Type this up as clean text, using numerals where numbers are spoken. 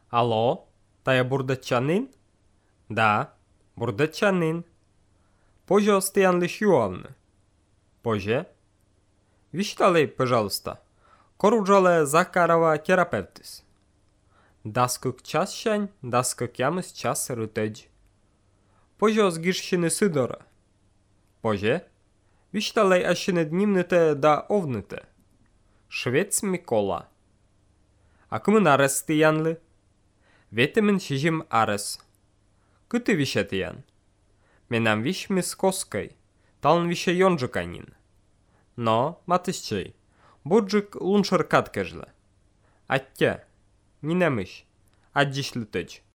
Алло, тая бурдачанин? Да, бурдачанин. Поже остыянлы шуалны. Поже? Вишталей, пожалуйста. Коруджале Закарова терапевтис. Даскук час шань, даскук ямыс час рутедж. Поже з гірщини Сидора. Поже? Вишталей ашине днімните да овните. Швець Микола. Акымын арес тиянлы? Ветемен шижим арес. Кыты више тиян? Менам виш мис коскай. Талн више йонжукайнин. Но, матысчей, бурджик луншыр каткежлы. Аття, нинемыш, аддишлы тыч.